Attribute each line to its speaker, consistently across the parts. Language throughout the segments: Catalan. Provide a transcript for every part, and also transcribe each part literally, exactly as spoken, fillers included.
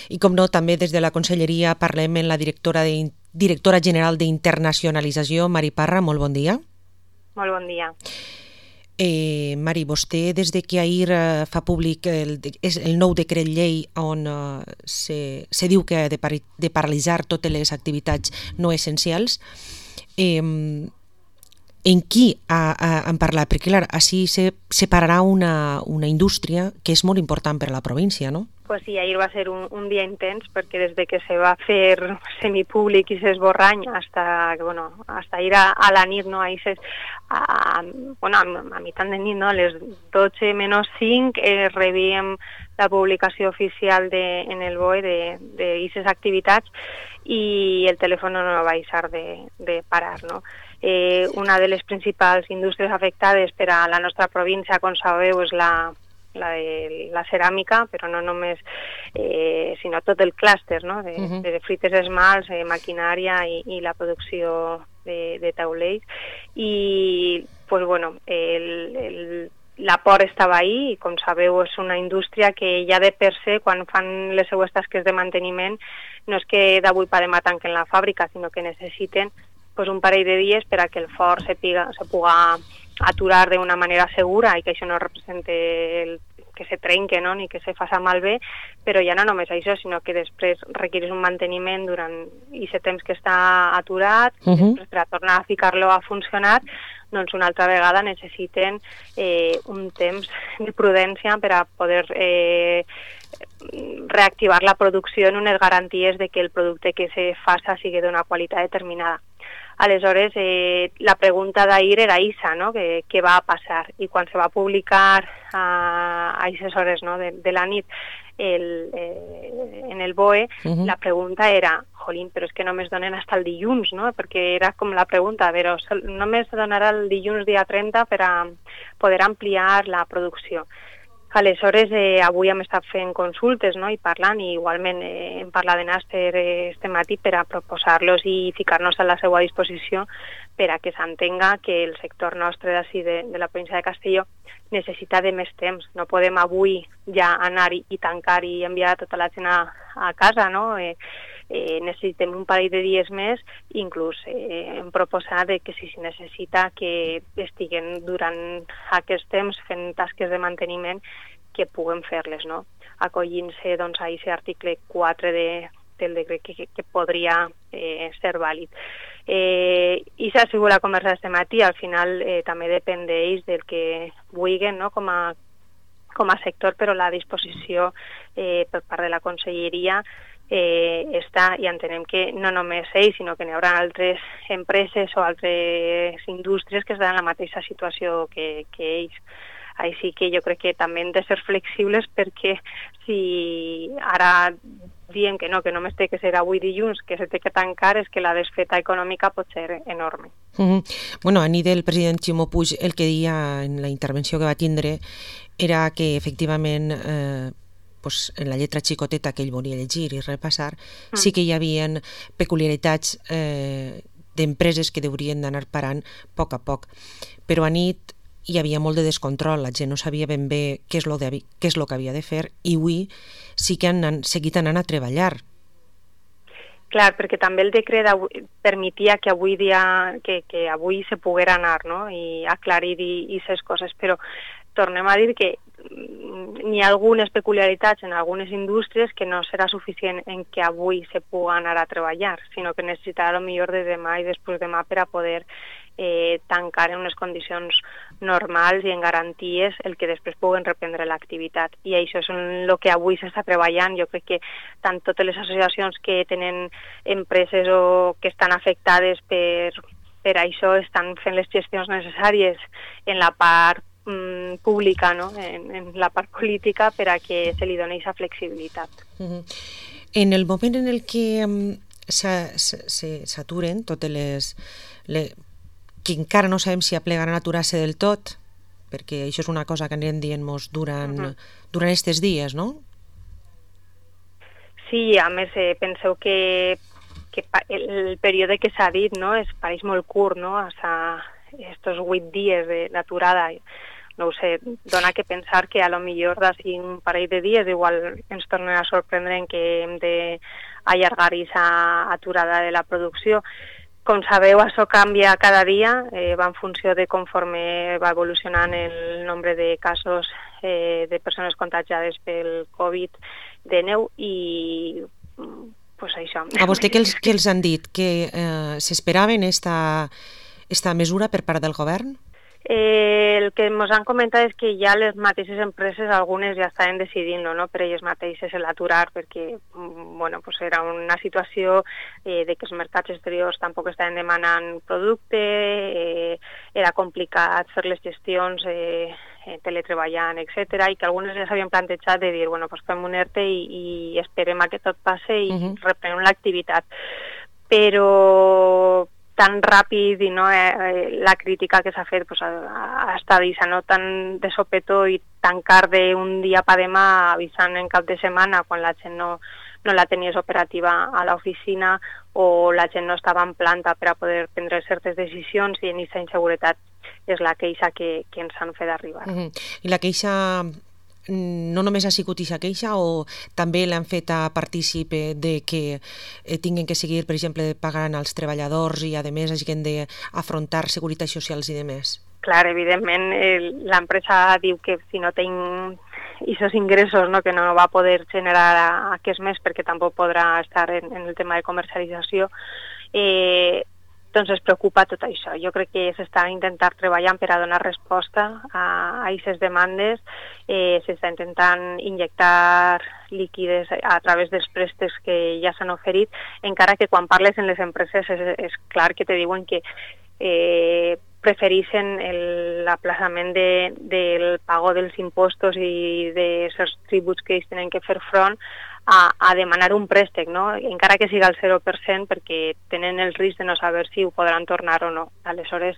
Speaker 1: I com no, també des de la Conselleria parlem amb la directora, de, directora general d'Internacionalització, Mari Parra. Molt bon dia.
Speaker 2: Molt bon dia.
Speaker 1: Eh, Mari, vostè, des de que ahir eh, fa públic el, és el nou decret llei on eh, se, se diu que ha de, par de paralitzar totes les activitats no essencials, eh, en qui ha, ha, han parlat? Perquè, clar, així se separarà una, una indústria que és molt important per a la província, no?
Speaker 2: Pues sí, ahir va ser un, un dia intens perquè des de que se va fer semipúblic i s'esborrany hasta, bueno, hasta ir a, a la nit, no? Ahir ses, a, bueno, a, a mitjan de nit, no? A les dotze menys cinc eh, rebíem la publicació oficial de, en el B O E d'aquestes activitats i el telèfon no va deixar de, de parar, no? Eh, una de les principals indústries afectades per a la nostra província, com sabeu, és la la de la ceràmica, però no només, eh, sinó tot el clúster, no? de, uh-huh. de frites esmalts, eh, maquinària i, i la producció de, de taulells. I, pues, bueno, el, el, l'aport estava ahí i, com sabeu, és una indústria que ja de per se, quan fan les seues tasques de manteniment, no és que d'avui per demà tanquen la fàbrica, sinó que necessiten pues, un parell de dies per a que el forn se, piga, se puga aturar d'una manera segura i que això no represente el, que se trenque, no? Ni que se faci malbé, però ja no només això, sinó que després requereix un manteniment durant aquest temps que està aturat, uh-huh. després per a tornar a ficar-lo a funcionar, doncs una altra vegada necessiten eh, un temps de prudència per a poder eh, reactivar la producció en unes garanties de que el producte que se faça sigui d'una qualitat determinada. Aleshores, eh, la pregunta d'ahir era isa, no? Que, què va passar? I quan se va publicar a aquestes hores, no? de, de la nit el, eh, en el B O E, uh-huh. la pregunta era, jolín, però és que només donen fins el dilluns, no? Perquè era com la pregunta, però només donarà el dilluns dia trenta per a poder ampliar la producció. Aleshores, eh, avui hem estat fent consultes, no? I parlant, i igualment eh, hem parlat de Nàster eh, este matí per a proposar-los i ficar-nos a la seva disposició per a que s'entenga que el sector nostre d'ací de, de la província de Castelló necessita de més temps. No podem avui ja anar i, i tancar i enviar tota la gent a, a casa, no? Eh, eh, necessitem un parell de dies més, inclús eh, hem proposat de que si es necessita que estiguen durant aquest temps fent tasques de manteniment que puguem fer-les, no? Acollint-se doncs, a aquest article quatre de, del decret que, que, que podria eh, ser vàlid. Eh, I s'ha sigut la conversa d'aquest matí, al final eh, també depèn d'ells del que vulguin, no? com, a, com a sector, però la disposició eh, per part de la Conselleria eh, està, i entenem que no només ells, sinó que n'hi haurà altres empreses o altres indústries que estan en la mateixa situació que, que ells. Així que jo crec que també hem de ser flexibles perquè si ara diem que no, que només té que ser avui dilluns, que se té que tancar, és que la desfeta econòmica pot ser enorme.
Speaker 1: Uh-huh. Bueno, a nit el president Ximo Puig el que deia en la intervenció que va tindre era que efectivament eh, pues, en la lletra xicoteta que ell volia llegir i repassar, mm. sí que hi havia peculiaritats eh, d'empreses que haurien d'anar parant a poc a poc. Però a nit hi havia molt de descontrol, la gent no sabia ben bé què és lo, de, què és lo que havia de fer i avui sí que han seguit anant a treballar.
Speaker 2: Clar, perquè també el decret avui, permetia que avui dia que, que avui se poguera anar, no? I aclarir aquestes coses, però tornem a dir que n'hi ha algunes peculiaritats en algunes indústries que no serà suficient en que avui se pugui anar a treballar, sinó que necessitarà a lo millor de demà i després demà per a poder eh, tancar en unes condicions normals i en garanties el que després puguen reprendre l'activitat. I això és el que avui s'està treballant. Jo crec que tant totes les associacions que tenen empreses o que estan afectades per, per això estan fent les gestions necessàries en la part pública, no? en, en la part política per a que se li doni aquesta flexibilitat.
Speaker 1: Uh-huh. En el moment en el que um, s'aturen totes les, les... que encara no sabem si aplegaran a aturar-se del tot, perquè això és una cosa que anirem dient-nos durant, uh-huh. durant aquests dies, no?
Speaker 2: Sí, a més, eh, penseu que, que el període que s'ha dit, no?, és, pareix molt curt, no?, hasta estos vuit dies d'aturada. no ho sé, dona que pensar que a lo millor d'ací un parell de dies igual ens tornen a sorprendre en que hem d'allargar aquesta aturada de la producció. Com sabeu, això canvia cada dia, eh, va en funció de conforme va evolucionant el nombre de casos eh, de persones contagiades pel covid dinou i pues això.
Speaker 1: A vostè què els, què els han dit? Que eh, s'esperaven esta, esta mesura per part del govern?
Speaker 2: Eh, el que ens han comentat és que ja les mateixes empreses, algunes ja estaven decidint, no, per elles mateixes l'aturar, perquè bueno, pues era una situació eh, de que els mercats exteriors tampoc estaven demanant producte, eh, era complicat fer les gestions eh, teletreballant, etcètera, i que algunes ja s'havien plantejat de dir, bueno, pues fem un ERTE i, i esperem a que tot passe i uh-huh. reprenem l'activitat. Però tan ràpid i no, eh, la crítica que s'ha fet pues, ha, ha estat això, no? Tan de sopetó i tancar d'un dia per demà avisant en cap de setmana quan la gent no, no la tenies operativa a l'oficina o la gent no estava en planta per a poder prendre certes decisions, i en aquesta inseguretat és la queixa que, que ens han fet arribar.
Speaker 1: Uh-huh. I la queixa no només ha sigut aquesta queixa o també l'han fet a partícipe de que eh, tinguin que seguir, per exemple, pagant als treballadors i, a més, hagin d'afrontar seguretat socials i demés?
Speaker 2: Clar, evidentment, eh, l'empresa diu que si no tinc aquests ingressos, no, que no va poder generar aquest mes perquè tampoc podrà estar en, en el tema de comercialització, eh, doncs es preocupa tot això. Jo crec que s'està intentant treballar per a donar resposta a aquestes demandes, eh, s'està intentant injectar líquides a través dels préstecs que ja s'han oferit, encara que quan parles en les empreses és, és clar que te diuen que eh, prefereixen l'aplaçament de, del pago dels impostos i dels tributs que ells tenen que fer front a, a demanar un préstec, no? Encara que siga el zero per cent, perquè tenen el risc de no saber si ho podran tornar o no. Aleshores,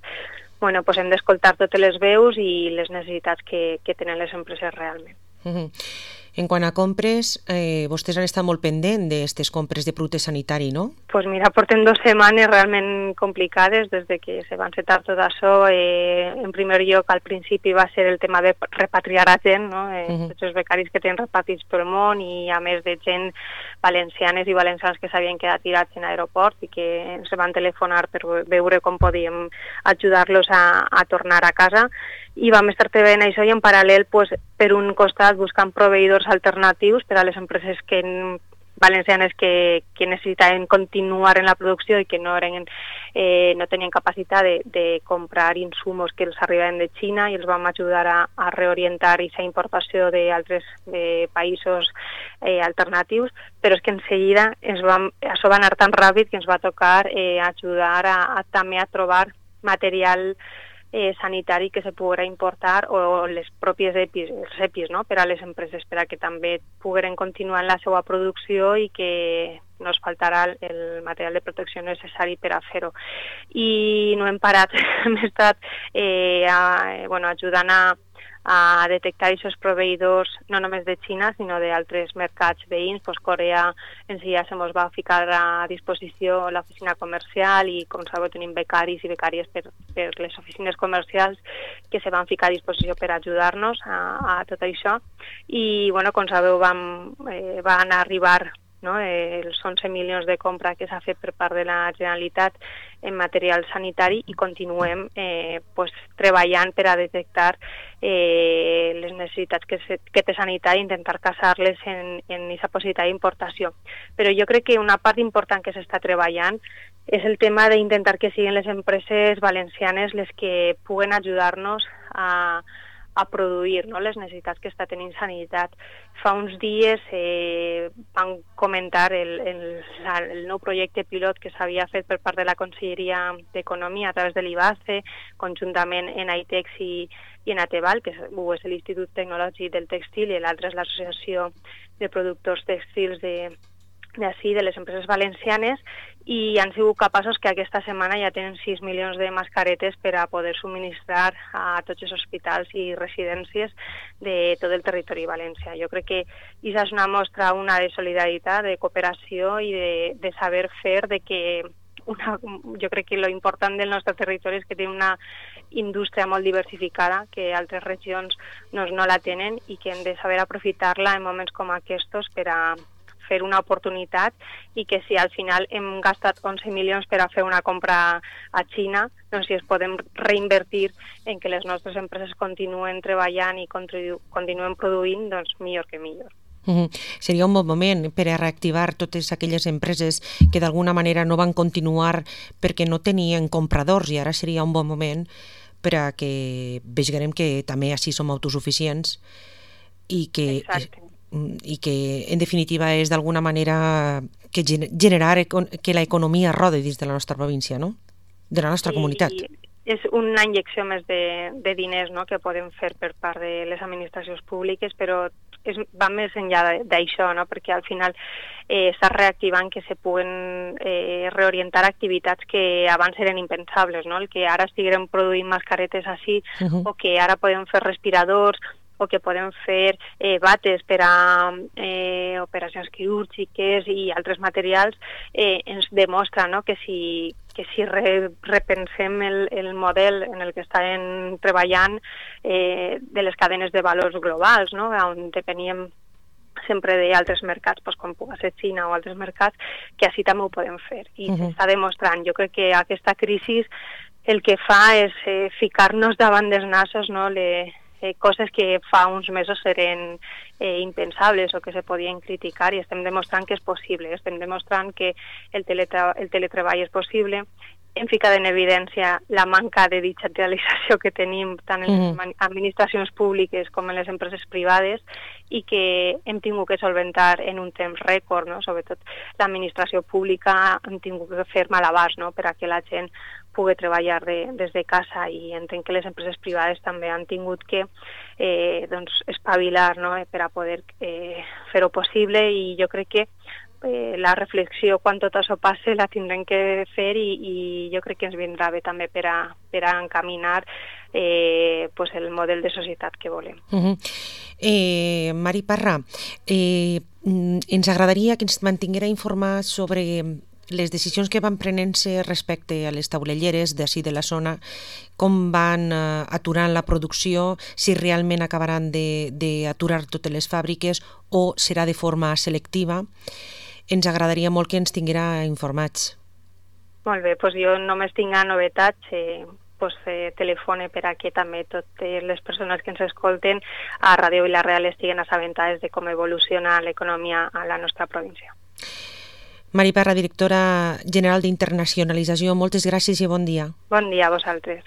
Speaker 2: bueno, pues hem d'escoltar totes les veus i les necessitats que, que tenen les empreses realment.
Speaker 1: Uh-huh. En quant a compres, eh, vostès han estat molt pendents d'aquestes compres de producte sanitari, no?
Speaker 2: Doncs pues mira, portem dues setmanes realment complicades des de que se va encetar tot això. Eh, en primer lloc, al principi va ser el tema de repatriar a gent, no? Eh, uh-huh. Tots els becaris que tenen repartits pel món i a més de gent valencianes i valencians que s'havien quedat tirats en aeroport i que ens van telefonar per veure com podíem ajudar-los a, a tornar a casa. I vam estar treballant això i en paral·lel, pues, per un costat, buscant proveïdors alternatius per a les empreses que, valencianes que, que necessitaven continuar en la producció i que no, eren, eh, no tenien capacitat de, de comprar insumos que els arribaven de Xina, i els vam ajudar a, a reorientar aquesta importació d'altres països eh, alternatius, però és que en seguida ens vam, això va anar tan ràpid que ens va tocar eh, ajudar a, a, també a trobar material Eh, sanitari que se poguera importar o les pròpies EPIs, els EPIs, no? Per a les empreses, per a que també pogueren continuar en la seva producció i que no es faltarà el material de protecció necessari per a fer-ho. I no hem parat, hem estat eh, a, bueno, ajudant a a detectar aquests proveïdors no només de Xina, sinó d'altres mercats veïns. Pues Corea en si ja se mos va ficar a disposició l'oficina comercial i, com sabeu, tenim becaris i becàries per, per les oficines comercials que se van ficar a disposició per ajudar-nos a, a tot això. I, bueno, com sabeu, vam, eh, van arribar no? eh, els onze milions de compra que s'ha fet per part de la Generalitat en material sanitari i continuem eh, pues, treballant per a detectar eh, les necessitats que, se, que té sanitari i intentar casar-les en aquesta possibilitat d'importació. Però jo crec que una part important que s'està treballant és el tema d'intentar que siguin les empreses valencianes les que puguen ajudar-nos a a produir, no?, les necessitats que està tenint sanitat. Fa uns dies eh, van comentar el, el, el nou projecte pilot que s'havia fet per part de la Conselleria d'Economia a través de l'I B A C E, conjuntament en AITEX i, i en ATEVAL, que és, és l'Institut Tecnològic del Textil, i l'altre és l'Associació de Productors Textils de d'ací, de les empreses valencianes, i han sigut capaços que aquesta setmana ja tenen sis milions de mascaretes per a poder subministrar a tots els hospitals i residències de tot el territori valencià. Jo crec que això és una mostra una de solidaritat, de cooperació i de, de saber fer, de que una, jo crec que lo important del nostre territori és que té una indústria molt diversificada, que altres regions doncs, no la tenen i que hem de saber aprofitar-la en moments com aquests per a fer una oportunitat i que si al final hem gastat onze milions per a fer una compra a Xina, doncs si es podem reinvertir en que les nostres empreses continuen treballant i continuen produint, doncs millor que millor.
Speaker 1: Uh-huh. Seria un bon moment per a reactivar totes aquelles empreses que d'alguna manera no van continuar perquè no tenien compradors i ara seria un bon moment per a que vegem que també així som autosuficients i que...
Speaker 2: Exacte.
Speaker 1: i que en definitiva és d'alguna manera que generar que l'economia rode dins de la nostra província, no? De la nostra
Speaker 2: I,
Speaker 1: comunitat.
Speaker 2: I és una injecció més de, de diners, no?, que podem fer per part de les administracions públiques, però és, va més enllà d'això, no?, perquè al final eh, està reactivant que se puguen eh, reorientar activitats que abans eren impensables, no?, el que ara estiguem produint mascaretes així, uh-huh. o que ara podem fer respiradors, o que podem fer eh, bates per a eh, operacions quirúrgiques i altres materials, eh, ens demostra, no?, que si, que si re, repensem el, el model en el que estem treballant eh, de les cadenes de valors globals, no?, on depeníem sempre d'altres mercats, doncs, com pugui ser Xina o altres mercats, que així també ho podem fer. I uh-huh. s'està demostrant. Jo crec que aquesta crisi el que fa és eh, ficar-nos davant dels nassos, no?, le, Eh, coses que fa uns mesos eren eh, impensables o que se podien criticar i estem demostrant que és possible, estem demostrant que el, teletra- el teletreball és possible, hem ficat en evidència la manca de digitalització que tenim tant en les mm. administracions públiques com en les empreses privades i que hem tingut que solventar en un temps rècord, no? Sobretot l'administració pública hem tingut que fer malabars, no?, per a que la gent pugui treballar de, des de casa i entenc que les empreses privades també han tingut que eh, doncs, espavilar, no?, per a poder eh, fer-ho possible i jo crec que eh, la reflexió quan tot això passe la tindrem que fer i, i jo crec que ens vindrà bé també per a, per a encaminar eh, pues el model de societat que volem.
Speaker 1: Uh-huh. eh, Mari Parra, eh, ens agradaria que ens mantinguera informats sobre les decisions que van prenent-se respecte a les taulelleres d'ací de la zona, com van uh, aturant la producció, si realment acabaran d'aturar totes les fàbriques o serà de forma selectiva. Ens agradaria molt que ens tinguera informats.
Speaker 2: Molt bé, doncs jo només tinc novetats, eh, pues, eh, telefone per a que també totes les persones que ens escolten a Ràdio Vila-real estiguen assabentades de com evoluciona l'economia a la nostra província.
Speaker 1: Mari Parra, directora general d'Internacionalització, moltes gràcies i bon dia.
Speaker 2: Bon dia a vosaltres.